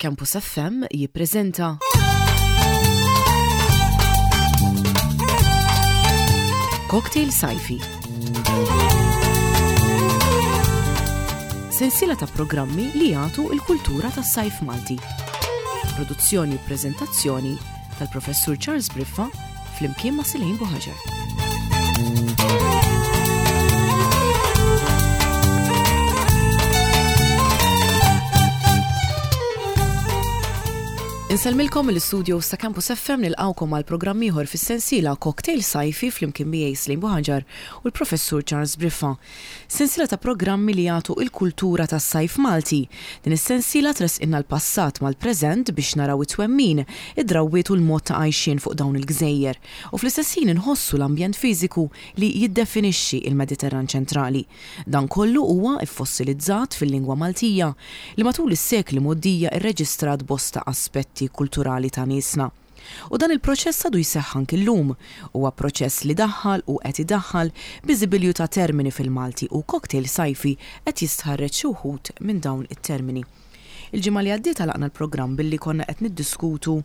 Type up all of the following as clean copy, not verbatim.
Campus FM jippreżenta Cocktail Sajfi. Sensiela ta' programmi li jagħtu l-kultura tas-sajf Malti. Produzzjoni u preżentazzjoni tal-Professur Charles Briffa flimkien ma' Silejn Buħaġar. Insellmilkom mill-istudios ta' Campus FM nilqgħukom għal programm ieħor fis-sensiela Cocktail Sajfi flimkien miegħi Slim Buħaġar u l-Professur Charles Briffa. Sensiela ta' programmi li jagħtu il-kultura tas-sajf Malti. Din is-sensiela tressqilna l-passat mal-preżent biex naraw it-twemmin, id-drawwiet u l-mod ta' għajxien fuq dawn il-gżejjer u fl-istess ħin inħossu l-ambjent fiżiku li jiddefinixxi l-Mediterran ċentrali. Dan kollu huwa ffossilizzat fil-lingwa Maltija li matul is-sekli mgħoddija rreġistrat bosta aspetti kulturali ta' niesna. U dan il-proċess għadu jseħħ anki llum. Huwa proċess li daħħal u qed idaħħal biżibilju ta' termini fil-Malti u Cocktail Sajfi qed jistħarreġ xi wħud minn dawn it-termini. Il-ġimgħa li għaddiet għalaqna l-programm billi konna qed niddiskutu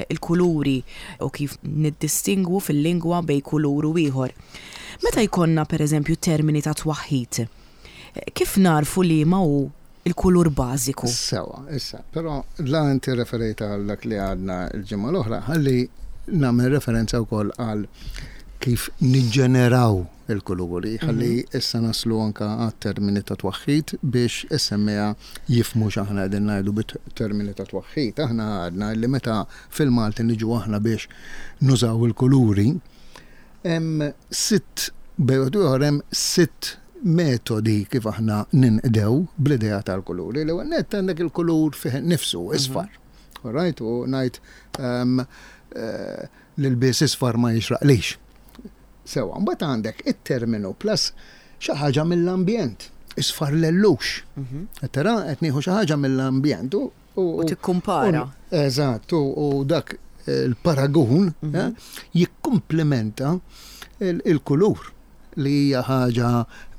l-kuluri u kif niddistingwu fil-lingwa bejn kulur u ieħor. Meta jkollna pereżempju termini ta' twaħħid, kif nagħrfu liema hu l-kulur bażiku? Sewwa, issa, però la inti rreferejt għal dak li għadna l-ġimgħa l-oħra, ħalli nagħmel referenza wkoll għal kif niġġeneraw il-kuluri, ħalli issa naslu anke għat-termini ta' twaħħid biex is-semmiegħa jifhmu x'aħna qegħdin ngħidu bit-termini ta' twaħħid. Aħna għadna li meta fil-Malti niġu aħna biex nużaw il-kuluri, hemm sitt, bejn wieħed u ieħor hemm sitt metodi kif aħna ninqdew bl-idea tal-kuluri. L-ewwel nett għandek il-kulur fih innifsu, isfar. All right? U ngħid ehm, eh, l-ilbies isfar ma jixraqlix. Sewwa, mbagħad għandek it-terminu plus xi ħaġa mill-ambjent, isfar lellux. Mhm. Qed tara qed nieħu xi ħaġa mill-ambjent u U tikkumpara. Eżatt, u dak il-paragun mhm. eh, jikkumplementa il-kulur li hija ħaġa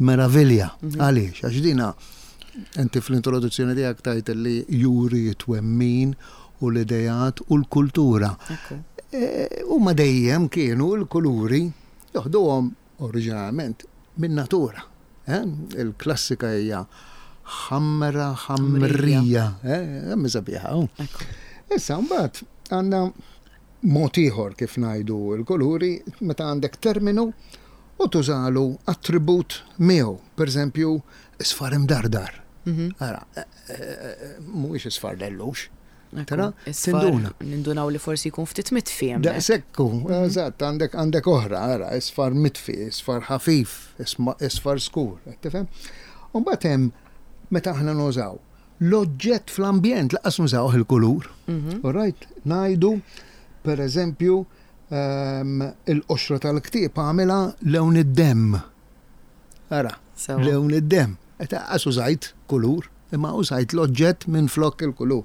meravilja. Mhm. Għaliex? Għax dina inti fl-introduzzjoni tiegħek tajt li juri twemmin u l-idejat u l-kultura. Eh, huma dejjem kienu l-kuluri joħduhom oriġinalment min-natura. Eh? Il-klassika hija ħamra ħamrija. Eh, hemm sabiħa. Issa mbagħad għandna mod ieħor kif ngħidu l-kuluri meta għandek terminu u tużalu attribut miegħu. Pereżempju, isfar imdardar. Mhm. Ara, eh, eh, mhuwiex isfar lellux. Tara, tinduna. Nindunaw li forsi jkun ftit mitfi hemm. Daqshekk hu, mhm. eżatt, għandek għandek oħra, ara, isfar mitfi, isfar ħafif, isfar skur, qed tifhem? U mbagħad hemm meta aħna nużaw l-oġġett fl-ambjent laqas nużawh il-kulur. Mhm. All right, ngħidu per eżempju ehm, il-qoxra tal-ktieb għamilha lewn id-demm. Ara, lewn id-demm. Qed għas użajt kulur, imma użajt l-oġġett minflok il-kulur.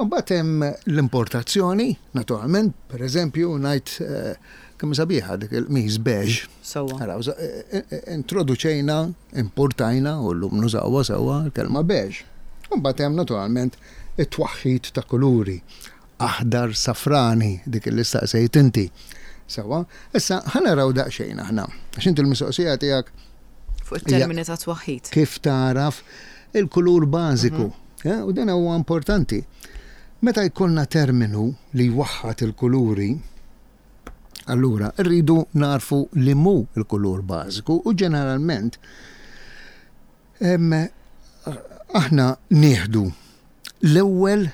Imbagħad hemm l-importazzjoni, naturalment, per eżempju, ngħid eh, kemm sabiħa dik il-qmis beige. Sewwa. Ara, eh, eh, introduċejna, importajna u llum nużawha sewwa l-kelma beige. Imbagħad hemm naturalment it-twaħħid ta' kuluri. Aħdar safrani, dik li staqsejt inti. Sewwa, issa ħa naraw daqsxejn aħna. Għax inti l-mistoqsija tiegħek Fuq it-termini ta' twaħħid. Kif tagħraf il-kulur bażiku. Mhm. Eh, u dan huwa importanti. Meta jkollna terminu li jwaħħad il-kuluri, allura rridu narfu li mu il-kulur bażiku u ġeneralment aħna nieħdu l-ewwel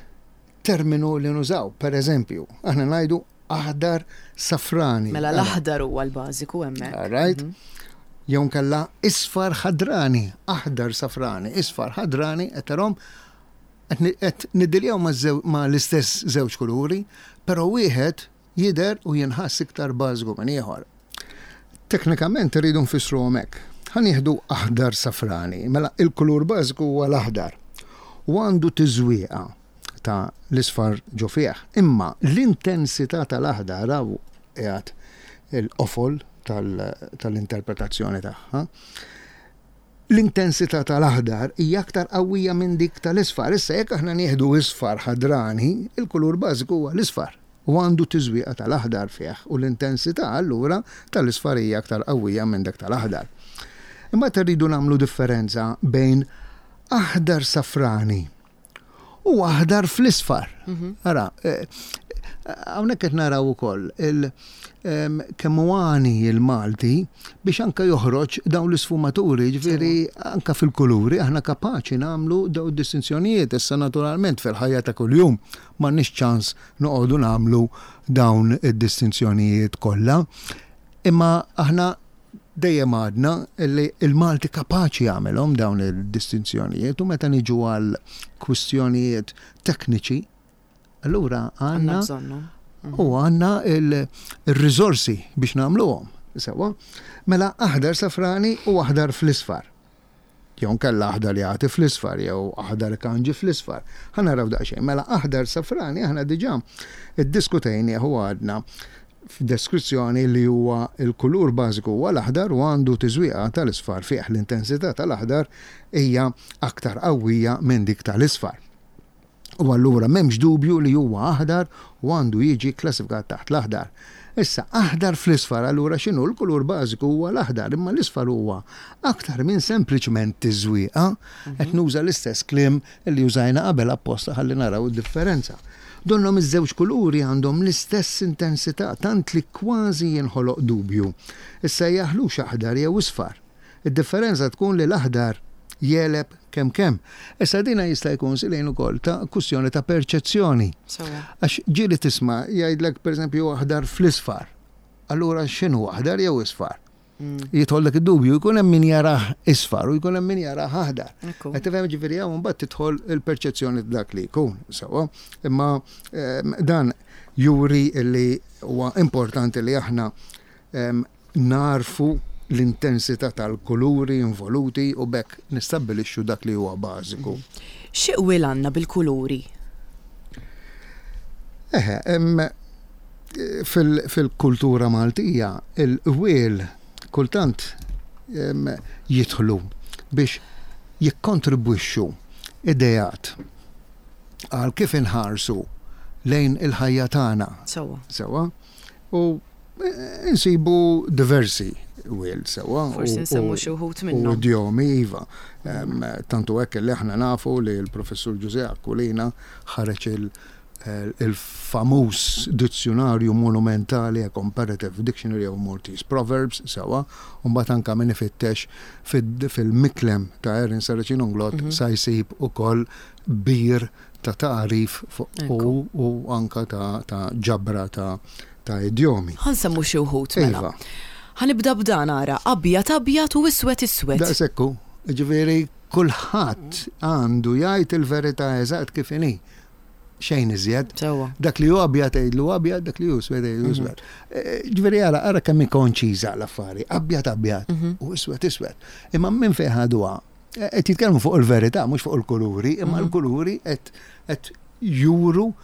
terminu li nużaw. Per eżempju, aħna ngħidu aħdar safrani. Mela l-aħdar huwa l-bażiku hemmhekk. All right. Mhm. Jew nkella isfar ħadrani, aħdar safrani, isfar ħadrani, qed tarhom qed niddiljaw ma' l-istess żewġ kuluri, però wieħed jidher u jinħass iktar bażiku minn ieħor. Teknikament irridu nfissruhom hekk. Ħa nieħdu aħdar safrani, mela il-kulur bażiku huwa l-aħdar u għandu tiżwieqa ta' l-isfar ġo fih. Imma l-intensità tal-aħdar hawn qiegħed il-qofol tal-interpretazzjoni tagħha. L-intensità tal-aħdar hija aktar qawwija minn dik tal-isfar. Issa jekk aħna nieħdu isfar ħadrani, il-kulur bażiku huwa l-isfar u għandu tiżwieqa tal-aħdar fih u l-intensità allura tal-isfar hija aktar qawwija minn dak tal-aħdar. Imbagħad irridu nagħmlu differenza bejn aħdar safrani u aħdar fl-isfar. Mhm. Ara, eh, hawnhekk qed naraw ukoll il kemm hu għani il-Malti biex anka joħroġ dawn l-isfumaturi, ġifieri anka fil-kuluri aħna kapaċi nagħmlu dawn id-distinzjonijiet. Issa naturalment fil-ħajja ta' kuljum m'għandniex ċans noqogħdu nagħmlu dawn id-distinzjonijiet kollha. Imma aħna Dejjem għadna li l-Malti kapaċi jagħmilhom dawn id-distinzjonijiet u meta niġu għal kwistjonijiet tekniċi, allura għandna u għandna il-riżorsi biex nagħmluhom. Sewwa? Mela aħdar safrani u aħdar fl-isfar. Jew nkella aħdar jagħti fl-isfar jew aħdar ikanġi fl-isfar. Ħa naraw daqsxejn. Mela aħdar safrani aħna diġà iddiskutejnieh u għadna f'deskrizzjoni li huwa l-kulur bażiku huwa l-aħdar u għandu tiżwieqa tal-isfar fih. L-intensità tal-aħdar hija aktar qawwija minn dik tal-isfar. U allura m'hemmx dubju li huwa aħdar u għandu jiġi kklassifikat taħt l-aħdar. Issa, aħdar fl-isfar allura x'inhu? L-kulur bażiku huwa l-aħdar, imma l-isfar huwa aktar minn sempliċement tiżwieqa. Qed nuża l-istess kliem li użajna qabel apposta ħalli naraw id-differenza. Donnhom iż-żewġ kuluri għandhom l-istess intensità tant li kważi jinħoloq dubju issejjaħlux aħdar jew isfar. Id-differenza tkun li l-aħdar jegħleb kemm kemm. Issa dina jista' jkun silejn ukoll ta' kwistjoni ta' perċezzjoni. Għax ġieli tisma' jgħidlek pereżempju aħdar fl-isfar. Allura x'inhu aħdar jew isfar? Mm. Jidħollek id-dubju, jkun hemm min jarah isfar u jkun hemm min jarah aħdar. Qed tifhem ġifieri hawn mbagħad tidħol il-perċezzjoni dak li jkun sewwa. Imma ehm, dan juri li huwa importanti li aħna ehm, nagħrfu l-intensità tal-kuluri involuti u b'hekk nistabbilixxu dak li huwa bażiku. Xi qwiel għandna bil-kuluri? Eħe, fil-kultura Maltija il-qwiel kultant jidħlu biex jikkontribwixxu ideat għal kif inħarsu lejn il-ħajja tagħna. Sewwa. Sewwa. U insibu diversi wild sewwa. Forsi nsemmu xi wħud minnhom. U idjomi iva. Tantu hekk li aħna nafu li l-professur Ġużè Aquilina ħareġ il-famuż dizzjunarju monumentali A Comparative Dictionary of Maltese Proverbs sewwa, u mbagħad anke min ifittex fil-miklem ta' Erin Saracino Nglott mhm. sa jsib ukoll bir ta' tagħrif u u anka ta' ġabra ta' ta' idjomi. Ħa nsemmu xi wħud mela. Iva. Ħa nibda b'dan ara, abjad abjad u iswed iswed. Daqshekk hu. Jiġifieri kulħadd għandu jgħid il-verità eżatt kif inhi. Xejn iżjed. Sewwa. Dak li hu abjad għidlu abjad, dak li hu iswed għidlu iswed. Ġifieri ara ara kemm hi konċiża l-affari. Abjad abjad u iswed iswed. Imma minn fejn ħaduha? Qed jitkellmu fuq il-verità, mhux fuq il-kuluri, imma mhm. l-kuluri qed juru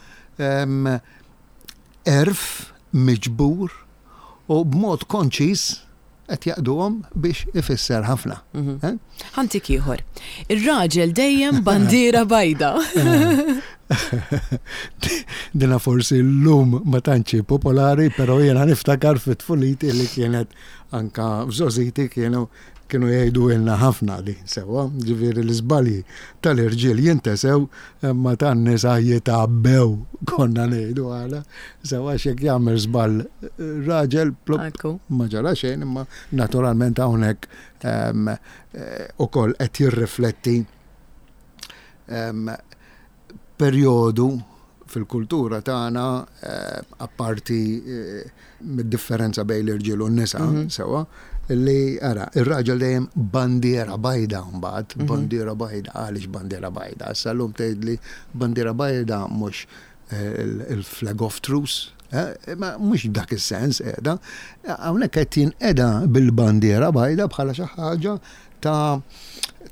ehm, għerf miġbur u b'mod konċis qed jaqduhom biex ifisser ħafna. Mhm. Eh? Ħantik ieħor. Ir-raġel dejjem bandiera bajda. Dina forsi l-lum ma tantx popolari, però jiena niftakar fit-tfuliti li kienet anka f'żożiti kienu Kienu jgħiduhielna ħafna din sewwa, ġifieri l-iżbalji tal-irġiel jintesew imma tan-nisa jitgħabbew konna ngħidu aħna. Sewwa għax jekk jagħmel żball raġel plupp ma ġara xejn imma naturalment hawnhekk ehm, eh, ukoll qed jirrifletti ehm, perjodu fil-kultura tagħna eh, apparti eh, mid-differenza bejn l-irġiel u n-nisa, mhm. sewa, li ara, ir-raġel dejjem bandiera bajda mbagħad, mhm. bandiera bajda, għaliex bandiera bajda? Issa llum tgħidli bandiera bajda mhux eh, il-flag of truce, ma mhux dak is-sens qiegħda. Hawnhekk qed jinqeda bil-bandiera bajda bħala xi ħaġa ta'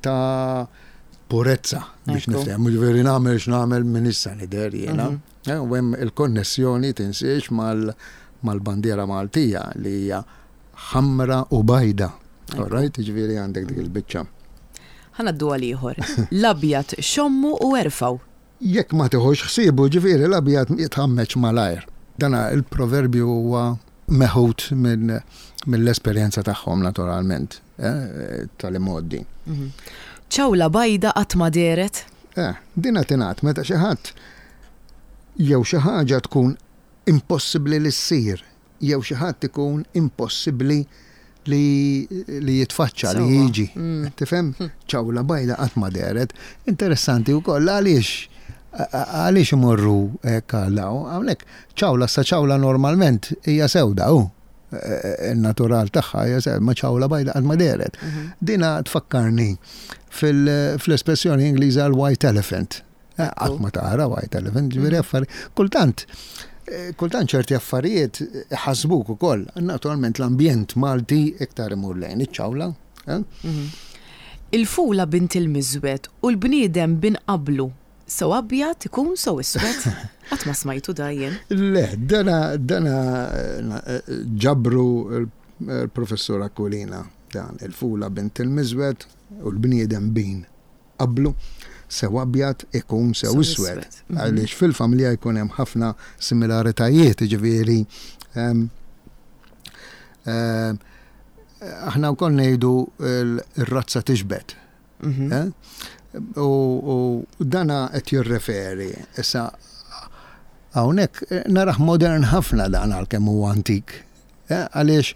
ta' purezza biex niftehmu, ġifieri nagħmel x'nagħmel minn issa nidher jiena. Mhm. Eh, u hemm il-konnessjoni tinsiex mal-bandiera Maltija li hija ħamra u bajda. All right, ġifieri għandek dik il-biċċa. Ħa ngħaddu għal ieħor. L-abjad xommu u erfgħu. Jekk ma tiħux ħsiebu, ġifieri l-abjad jitħammeġ malajr. Dan il-proverbju huwa meħud mill-esperjenza tagħhom naturalment, tal-imgħoddi. Ċawla bajda qatt ma dehret. Eh, dina tingħad meta xi ħadd jew xi ħaġa tkun impossibbli li ssir jew xi ħadd ikun impossibbli li li jitfaċċa, li jiġi. Mm. Tifhem? Hm. Ċawla bajda qatt ma dehret. Interessanti wkoll għaliex għaliex imorru hekk għal hawnhekk ċawla sa ċawla normalment hija sewda hu. Il-natural tagħha hija sewda, ma ċawla bajda qatt ma dehret. Mhm. Dina tfakkarni fl-espressjoni Ingliża l-white elephant. Eh, qatt ma tara white elephant, ġifieri mm. affari. Kultant, eh, kultant ċerti affarijiet ħasbuk ukoll. Naturalment l-ambjent Malti iktar imur lejn iċ-ċawla. Eh? Mhm. Il-fula bint il-miżwed u l-bniedem bin qablu. Sew abjad ikun sew iswed. Qatt ma smajtu da jien. Le, dana dana ġabru l-professur Aquilina dan il-fula bint il-miżwed u l-bniedem bin qablu, sew abjad ikun sew iswed. Mhm. Għaliex fil-familja jkun hemm ħafna similaritajiet, jiġifieri ehm, ehm, aħna wkoll ngħidu r-razza tixbet. Mhm. Eh? U dana qed jirreferi issa hawnhekk eh, narah modern ħafna dan għalkemm huwa antik. Eh, għaliex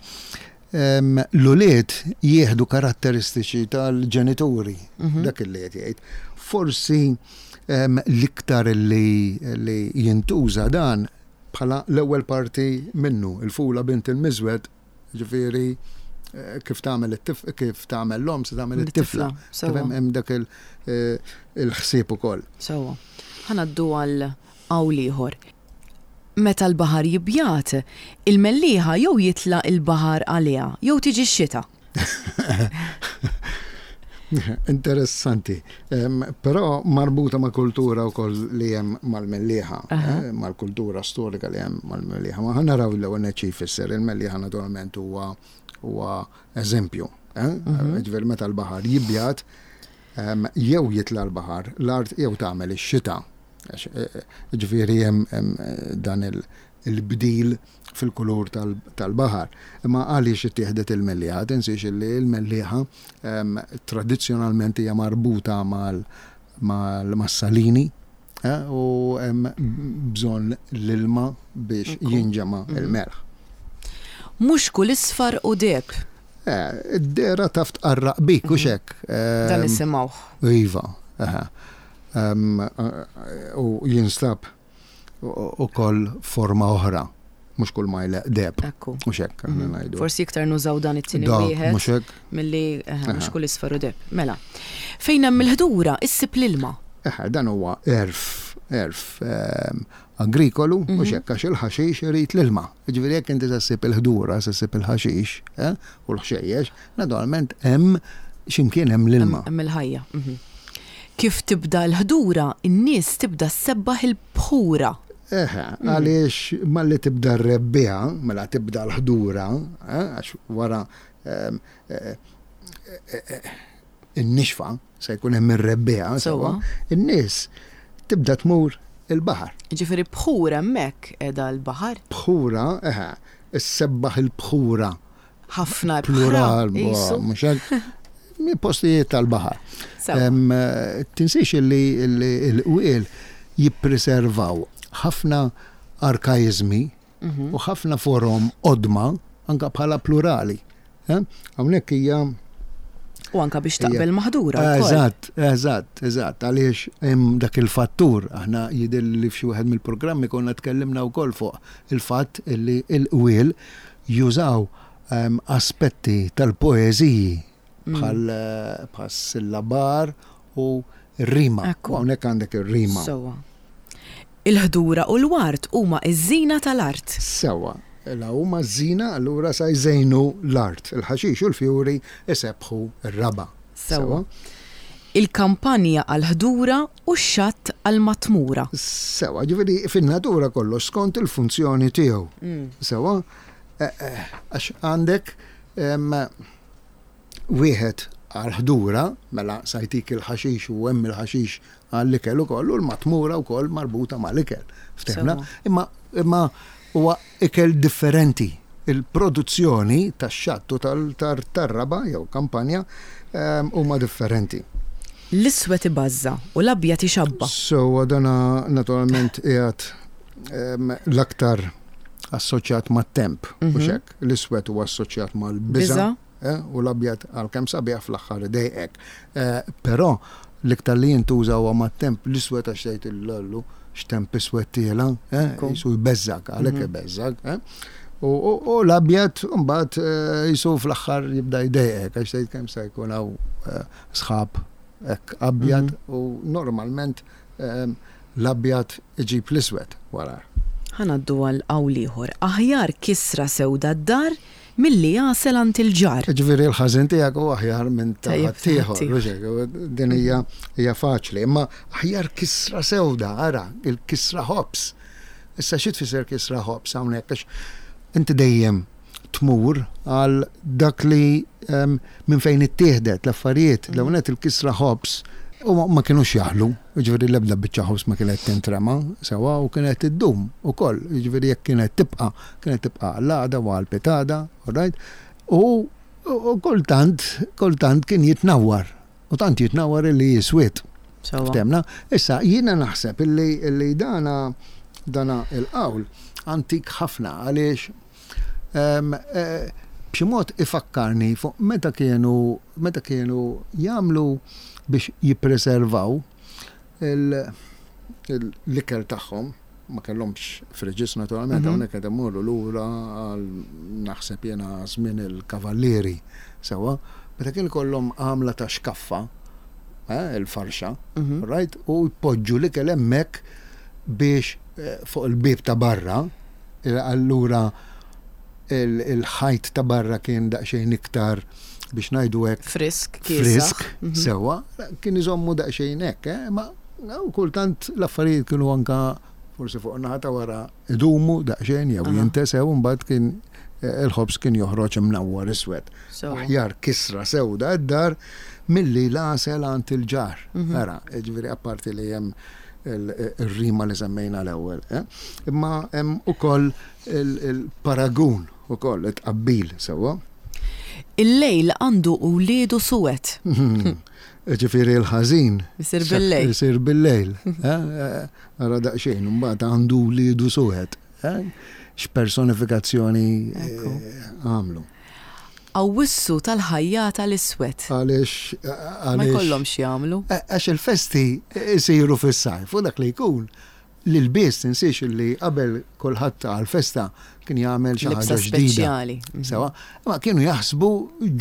l-ulied jieħdu karatteristiċi tal-ġenituri, mhm. dak li qed jgħid. Forsi l-iktar li jintuża dan bħala l-ewwel parti minnu, il-fula bint il-miżwed, ġifieri eh, kif tagħmel kif tagħmel l-om se tagħmel it-tifla. Hemm dak eh, il-ħsieb ukoll. Sewwa. Ħanaddu għal qawl ieħor. Meta l-baħar jibjad, il-mellieħa jew jitla' il-baħar għaliha jew tiġi x-xita. Interessanti. Però marbuta ma' kultura wkoll li hemm mal-mellieħa, eh, mal-kultura storika li hemm mal-mellieħa. Ma naraw l-ewwel nett xi jfisser. Il-mellieħa naturalment huwa huwa eżempju. Eh? Mhm. Ġifieri meta l-baħar jibjad, jew jitla' l-baħar, l-art jew tagħmel ix-xita. Ġifieri hemm dan il-bdil fil-kulur tal-baħar. Imma għaliex ittieħdet il-mellieħa? Tinsiex li l-mellieħa tradizzjonalment hija marbuta mas-salini u hemm bżonn l-ilma biex jinġema' l-melħ. Mhux kull isfar hu deheb. Id-dehra taf tqarraq bik, hux hekk? Dan nisimgħuh. Iva, eħe. U jinstab ukoll forma oħra, mhux kull ma jleqq deheb. Ekku. Mhux hekk aħna mhm. ngħidu. Forsi iktar nużaw dan it-tieni wieħed. Mhux hekk. Milli mhux kull isfar u deheb. Mela. Fejn hemm il-ħdura issib l-ilma. Eħe, dan huwa għerf, għerf agrikolu, mhux mhm. hekk għax il-ħaxix irid l-ilma. Jiġifieri jekk inti se ssib il-ħdura, se ssib il-ħaxix eh, u l-ħxejjex, naturalment hemm x'imkien hemm l-ilma. Hemm il-ħajja. Mhm. Kif tibda l-ħdura, in-nies tibda ssebbaħ il-bħura. Eħe, mhm. għaliex malli tibda r-rebbiegħa, mela tibda l-ħdura, eh, għax wara ehm, eh, in-nixfa, se jkun hemm ir-rebbiegħa, sewwa, in-nies tibda tmur il-baħar. Jiġifieri bħur hemmhekk qiegħda l-baħar? Bħura, eħe, issebbaħ il-bħura. Ħafna ibħra. Plural, mhux hekk? Postijiet tal-baħar. Tinsiex li l-qwiel jippreservaw ħafna arkaiżmi mhm. u ħafna forom qodma anka bħala plurali. Eh? Hawnhekk hija U anka biex taqbel maħdura. Eżatt, eżatt, eżatt, għaliex hemm dak il-fattur, aħna jidher li f'xi wieħed mill-programmi konna tkellimna wkoll fuq il-fatt li l-qwiel jużaw ehm, aspetti tal-poeżiji mm. bħal eh, sillabar u rima. U hawnhekk għandek ir-rima. Sewwa. Il-ħdura u l-ward huma ż-żina tal-art. Sewwa. La huma ż-żina allura sa jżejnu l-art. Il-ħaxix u l-fjuri jsebbħu r-raba'. Sewwa. Il-kampanja għall-ħdura u x-xatt għall-matmura. Sewwa, ġifieri fin-natura kollox skont il-funzjoni tiegħu. Sewwa? Għax għandek wieħed. għall-ħdura, mela sa jtik il-ħaxix u hemm il-ħaxix għall-ikel ukoll u l-matmura wkoll marbuta mal-ikel. Ftehmna? Imma imma huwa ikel differenti. Il-produzzjoni tax-xatt u tar-raba' jew kampanja huma differenti. L-iswed ibażża' u l-abjad ixabba'. Sewwa dana naturalment qiegħed l-aktar assoċjat mat-temp, hux hekk? L-iswed huwa assoċjat mal-biża' u l-abjad għalkemm sabiħ fl-aħħar idejqek. Però l-iktar li jintuża huwa mat-temp l-iswed għax tgħid illallu x'temp iswed tiela', qisu jbeżżgħek, għalhekk ibeżżgħek. U l-abjad mbagħad qisu fl-aħħar jibda jdejqek għax tgħid kemm se jkun hawn sħab hekk abjad u normalment l-abjad iġib l-iswed warajh. Ħa ngħaddu għal qawl ieħor, aħjar kisra sewda d-dar milli għasel għand il-ġar. Jiġifieri l-ħażin tiegħek hu aħjar minn ta' ħaddieħor, mhux hekk? Din hija hija faċli. Imma aħjar kisra sewda, ara, il-kisra ħobż. Issa xi tfisser kisra ħobż hawnhekk? Għax inti dejjem tmur għal dak li minn fejn ittieħdet l-affarijiet. L-ewwel nett il-kisra ħobż u ma kinux jaħlu, jiġifieri l-ebda biċċa ħobż ma kienet tintrema sewwa u kienet iddum ukoll, jiġifieri jekk kienet tibqa' kienet tibqa' għall-għada u għall-pitada, all right? U kultant, kultant kien jitnawwar, u tant jitnawwar illi jiswied. Ftehmna? Issa, jiena naħseb illi dana dana il-qawl antik ħafna għaliex B'xi mod ifakkarni fuq meta kienu meta kienu jagħmlu biex jippreservaw l-ikel tagħhom, ma kellhomx fridges naturalment, hawnhekk qed immorru lura għal naħseb jiena żmien il-kavallieri sewwa, meta kien ikollhom għamla ta' xkaffa, il-farxa, right, u jpoġġu l-ikel hemmhekk biex fuq il-bieb ta' barra, Allura il-ħajt ta' barra kien daqsxejn iktar biex ngħidu hekk. Frisk, Frisk, sewwa, kien iżommu daqsxejn hekk, eh? Ma kultant l-affarijiet kienu anka forsi fuq naħa ta' wara idumu daqsxejn jew jintesew imbagħad kien eh, il-ħobż kien joħroġ imnawwar iswed. Aħjar kisra sewda d-dar milli l-għasel għand il-ġar. Mhm. Ara, ġifieri apparti li hemm ir-rima li semmejna l-ewwel. Eh? Imma hemm ukoll il-paragun ukoll it-tqabbil sewwa. Il-lejl għandu wliedu suwed. Ġifieri l-ħażin. Isir bil-lejl. Isir bil-lejl. Eh? Eh, ara daqsxejn, mbagħad għandu wliedu suwed. X'personifikazzjoni għamlu. Awwissu tal-ħajjata l-iswed. Għaliex Ma jkollhomx x'jagħmlu. Għax il-festi jsiru fis-sajf u dak li jkun l-ilbies tinsiex li qabel kulħadd għall-festa kien jagħmel xi ħaġa ġdida. Speċjali. Mhm. Sewa, ma kienu jaħsbu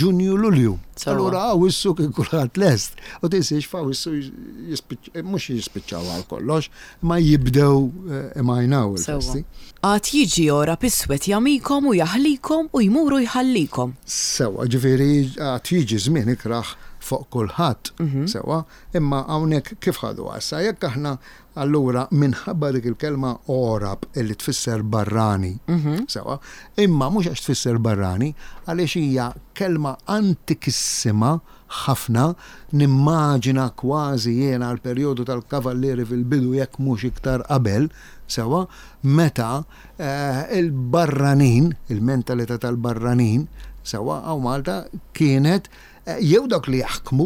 Ġunju Lulju. Allura Awwissu kien kulħadd lest. U tinsiex f'Awwissu mhux jispiċċaw għal kollox, ma jibdew eh, imajnaw il-festi. Għad jiġi għorab iswed jagħmikom u jaħlikom u jmur u jħallikom. Sewwa, ġifieri għad jiġi żmien ikrah fuq kulħadd, sewwa, imma hawnhekk kif ħaduha issa? Jekk aħna allura minħabba dik il-kelma għorab illi tfisser barrani, sewwa, imma mhux għax tfisser barrani, għaliex hija kelma antikissima ħafna, nimmaġina kważi jiena l-perjodu tal-Kavallieri fil-bidu jekk mhux iktar qabel, sewwa, meta l-barranin, il-mentalità tal-barranin, sewwa, hawn Malta kienet jew dawk li jaħkmu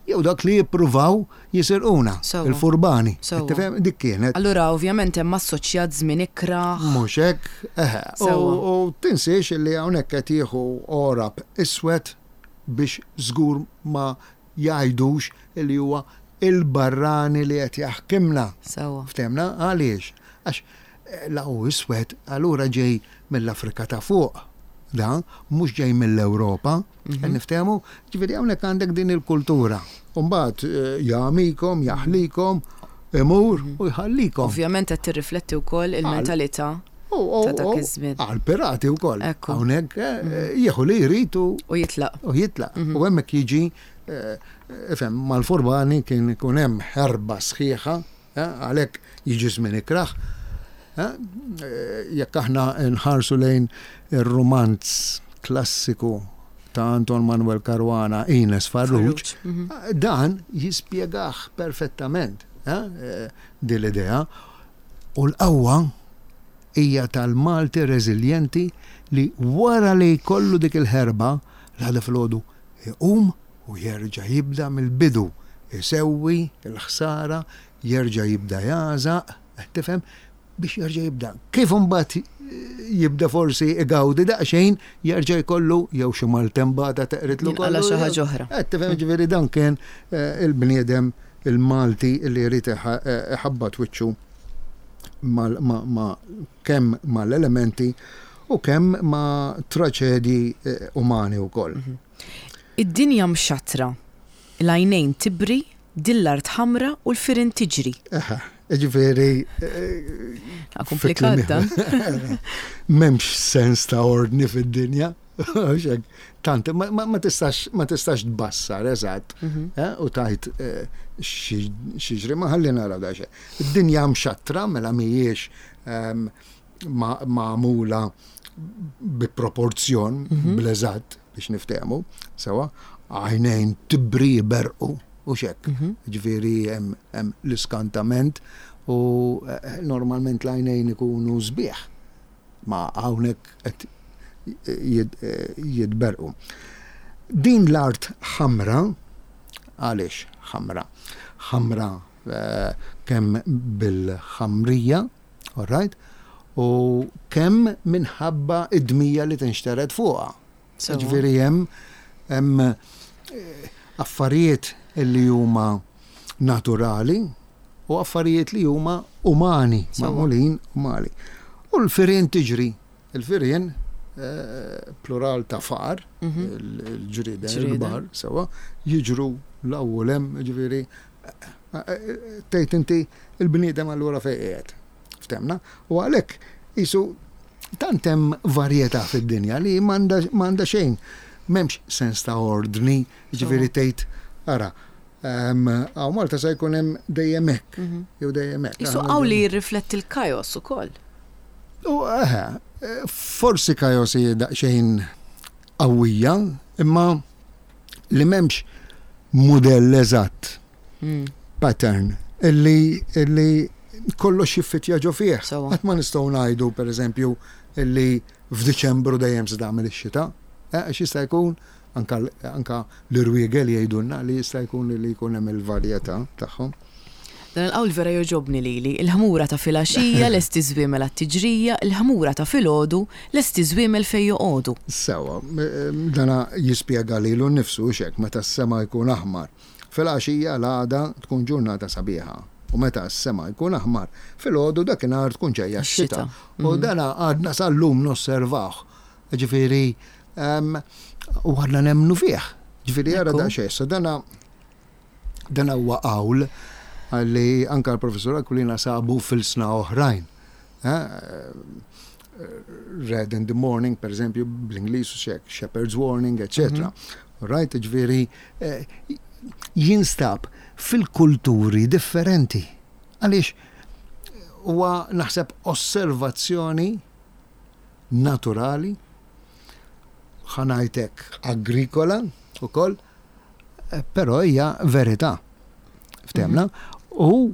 jew dawk li jippruvaw jisirquna, il-furbani. Tifhem? Dik kienet. Allura ovvjament hemm assoċjat żmien ikrah. Mhux hekk, eħe. U tinsiex li hawnhekk qed jieħu għorab iswed biex żgur ma jgħidux li huwa il-barrani li qed jaħkimna. Sewwa. Ftehmna? Għaliex? Għax la hu iswed, allura ġej mill-Afrika ta' fuq. Da, mhux ġej mill-Ewropa. Qed niftehmu? Ġifieri hawnhekk għandek din il-kultura. U mbagħad jagħmikom, jaħlikom, imur u jħallikom. Ovvjament qed tirrifletti wkoll il-mentalità ta' dak iż-żmien. Għall-pirati wkoll. Hawnhekk jieħu li jrid u. U jitlaq. U jitlaq. U hemmhekk jiġi, ifhem, mal-furbani kien ikun hemm ħerba sħiħa, għalhekk jiġi żmien ikrah. Jekk aħna nħarsu lejn ir-rumanz klassiku. ta' Anton Manuel Caruana Ines Farrugia, dan jispjegah perfettament din l-idea. U l-qawwa hija tal-Malti reżiljenti li wara li jkollu dik il-ħerba, l-għada filgħodu iqum u jerġa' jibda mill-bidu, isewwi l-ħsara, jerġa' jibda jagħżaq, qed tifhem, biex jerġa' jibda. Kif imbagħad jibda forsi igawdi daqsxejn, jerġa' jkollu jew xi maltembata teqridlu kollox. Jinqala' xi ħaġa oħra. Qed tifhem, ġifieri dan kien il-bniedem il-Malti li jrid iħabbat wiċċu ma' kemm mal-elementi u kemm ma' traċedji umani wkoll. Id-dinja mxattra, l-għajnejn tibri, din l-art ħamra u l-firien tiġri. Eħe, jiġifieri. Komplikat dan. M'hemmx sens ta' ordni fid-dinja. Tant, ma tistax ma tistax tbassar eżatt u tajt x'jiġri ma ħalli naraw daqsxejn. Id-dinja mxattra mela mhijiex magħmula bi proporzjon bl-eżatt biex niftehmu, sewa, għajnejn tibri jberrqu u x'hekk. Ġifieri hemm l-iskantament u normalment l-għajnejn ikunu sbieħ. Ma hawnhekk qed jitberrqu. Din l-art ħamra, għaliex ħamra? Ħamra kemm bil-ħamrija, all right, u kemm minħabba d-dmija li tinxtered fuqha. Ġifieri hemm hemm affarijiet li huma naturali u affarijiet li huma umani, magħmulin umani. U l-firien tiġri, il-firien plural ta' far, il-ġrieden il-kbar, sewa, jiġru 'l hawn u 'l hemm, ġifieri tgħid inti l-bniedem allura fejn qiegħed. Ftemna? U għalhekk qisu tant hemm varjetà fid-dinja li m'għandha xejn, m'hemmx sens ta' ordni, jiġifieri tgħid ara, hawn Malta se jkun hemm dejjem hekk, jew dejjem hekk. Qisu hawn li jirrifletti l-kajos ukoll. U eħe, forsi kajos hi daqsxejn qawwija, imma li m'hemmx mudell eżatt pattern illi illi kollox jiffitja ġo fih. Qatt ma nistgħu ngħidu pereżempju illi f'Diċembru dejjem se tagħmel ix-xita. Eh, għax jista' jkun anka anka l-irwiegel jgħidulna li jista' jkun li jkun hemm il-varjetà tagħhom. Dan il-qawl vera jogħġobni lili, il-ħmura ta' filgħaxija lesti żwiemel għat-tiġrija, il-ħmura ta' filgħodu lesti żwiemel fejn joqogħdu. Sewwa, dana jispjega lilu nnifsu, hux hekk, meta s-sema jkun aħmar. Filgħaxija l-għada tkun ġurnata sabiħa u meta s-sema jkun aħmar, filgħodu dakinhar tkun ġejja x-xita. U dana għadna sal-lum nosservawh. Ġifieri, u għadna nemmnu fih. Ġifieri ara daqsxejn, issa dana dana huwa qawl li anke l-Professur Aquilina sabu f'ilsna oħrajn. Red in the morning, per eżempju, bl-Ingliż, Shepherd's Warning, etc. Right, ġifieri, jinstab fil-kulturi differenti. Għaliex huwa naħseb osservazzjoni naturali, ħa ngħid hekk agrikola ukoll, però hija verità. Ftemna? U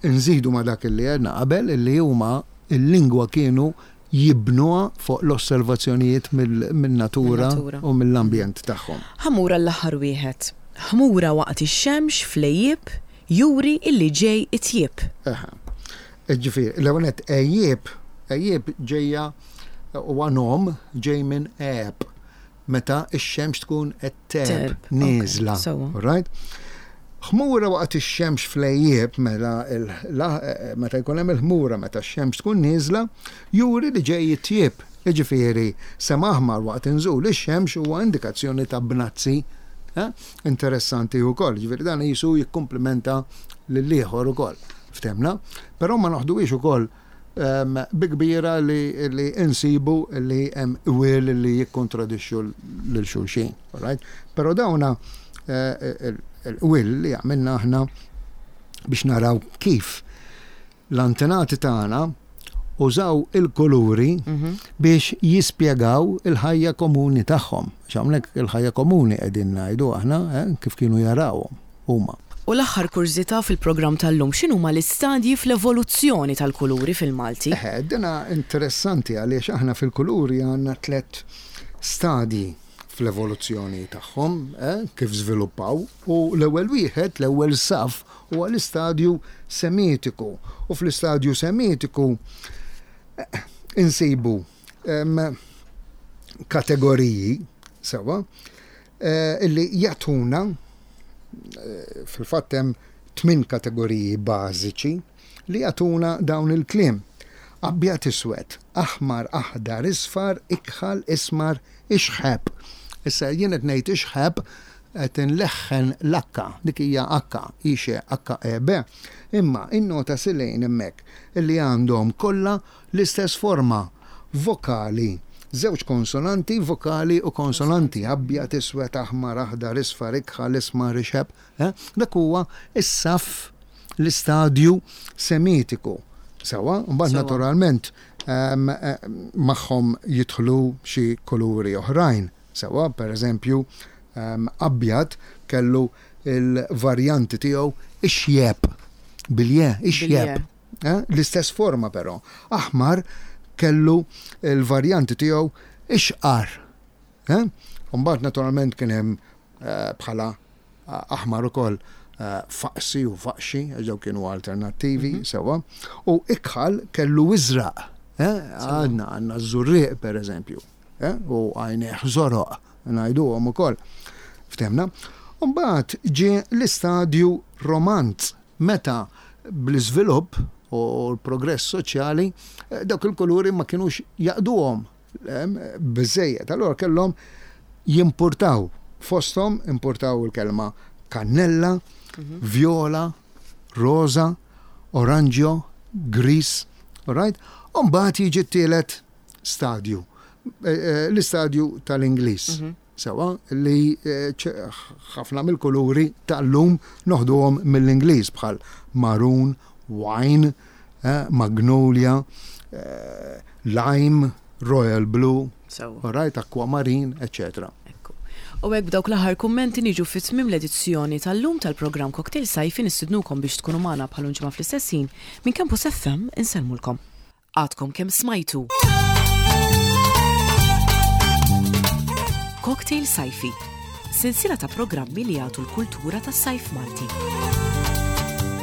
nżidu ma dak li għedna qabel li huma il-lingwa kienu jibnuha fuq l-osservazzjonijiet min-natura u mill-ambjent tagħhom. Ħa mmur għall-aħħar wieħed. Ħmura waqt ix-xemx fl-għejjieb juri illi ġej it-tjieb. Eħe. Ġifieri, l-ewwel nett għejjieb, għejjieb ġejja huwa nom ġej minn għeb. Meta x-xemx tkun qed tgħeb, nieżla. Right? Ħmura waqt ix-xemx fl-għejjieb, mela meta jkun hemm il-ħmura meta x-xemx tkun nieżla, juri li ġej it-tjieb. Jiġifieri, sema aħmar waqt inżul ix-xemx huwa indikazzjoni ta' bnazzi interessanti wkoll. Jiġifieri dan qisu jikkumplimenta lill-ieħor ukoll. Ftemna? Però ma noħduhiex ukoll bi kbira li insibu li hemm qwiel li jikkontradixxu lil xulxin. Right? Però dawna il-qwiel li għamilna aħna biex naraw kif l-antenati tagħna użaw il-kuluri biex jispjegaw il-ħajja komuni tagħhom. Għax hawnhekk il-ħajja komuni qegħdin ngħidu aħna, kif kienu jarawhom huma. U l-aħħar kurżità fil-programm tal-lum, x'inhuma l-istadji fl-evoluzzjoni tal-kuluri fil-Malti? Eħe, dina interessanti għaliex aħna fil-kuluri għandna tlett stadji fl-evoluzzjoni tagħhom, kif żviluppaw, u l-ewwel wieħed, l-ewwel saff, huwa l-istadju Semitiku. U fl-istadju Semitiku insibu kategoriji sewwa illi jagħtuna fil-fatt hemm tmin kategoriji bażiċi li jagħtuna dawn il-kliem. Abjad iswed, aħmar, aħdar, isfar, ikħal, ismar, ixħeb. Issa jien qed ngħid ixħeb qed inleħħen l-akka, dik hija akka, i xe, akka e be. Imma innota silejn hemmhekk illi għandhom kollha l-istess forma vokali. Żewġ konsonanti, vokali u konsonanti, abjad, iswed, aħmar, aħdar, isfar, ikħal, ismar, ixħeb. Eh? Dak huwa is-saff l-istadju semitiku. Sewa, mbagħad naturalment ehm, eh, magħhom jidħlu xi kuluri oħrajn. Sewa, per eżempju, ehm, abjad kellu il-varjanti tiegħu ixjeb bilje, ixjeb. Eh? L-istess forma però. Aħmar kellu il-varjanti tiegħu ixqar. Eh? Mbagħad naturalment kien hemm bħala aħmar ukoll faqsi u faqxi, għax dawk kienu alternattivi, mhm. sewwa, u ikħal kellu iżraq. Eh? Għandna għandna żurrieq pereżempju, eh? u għajnejh żoroq, ngħiduhom ukoll. Ftemna. Mbagħad ġie l-istadju romanz meta bl-iżvilupp u l-progress soċjali eh, dawk il-kuluri ma kienux jaqduhom biżżejjed. Allura kellhom jimpurtaw fosthom impurtaw il-kelma kannella, mhm. viola, rosa, oranġjo, gris, right? Umbagħad jiġi t-tielet stadju, eh, eh, l-istadju tal-Ingliż. Mhm. Sewa li eh, ħafna mill-kuluri tal-lum noħduhom mill-Ingliż bħal maroon, wine, magnolia, lime, royal blue, right, aquamarine, etc. U hekk b'dawk l-aħħar kummenti niġu fi tmiem l-edizzjoni tal-lum tal-programm Cocktail Sajfi nistidnukom biex tkunu magħna bħal ġimgħa fl-istess ħin minn Campus FM insellmulkom. Għadkom kemm smajtu. Cocktail Sajfi, sensiela ta' programmi li jagħtu l-kultura tas-sajf Malti.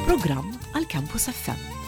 Programm għal Campus FM.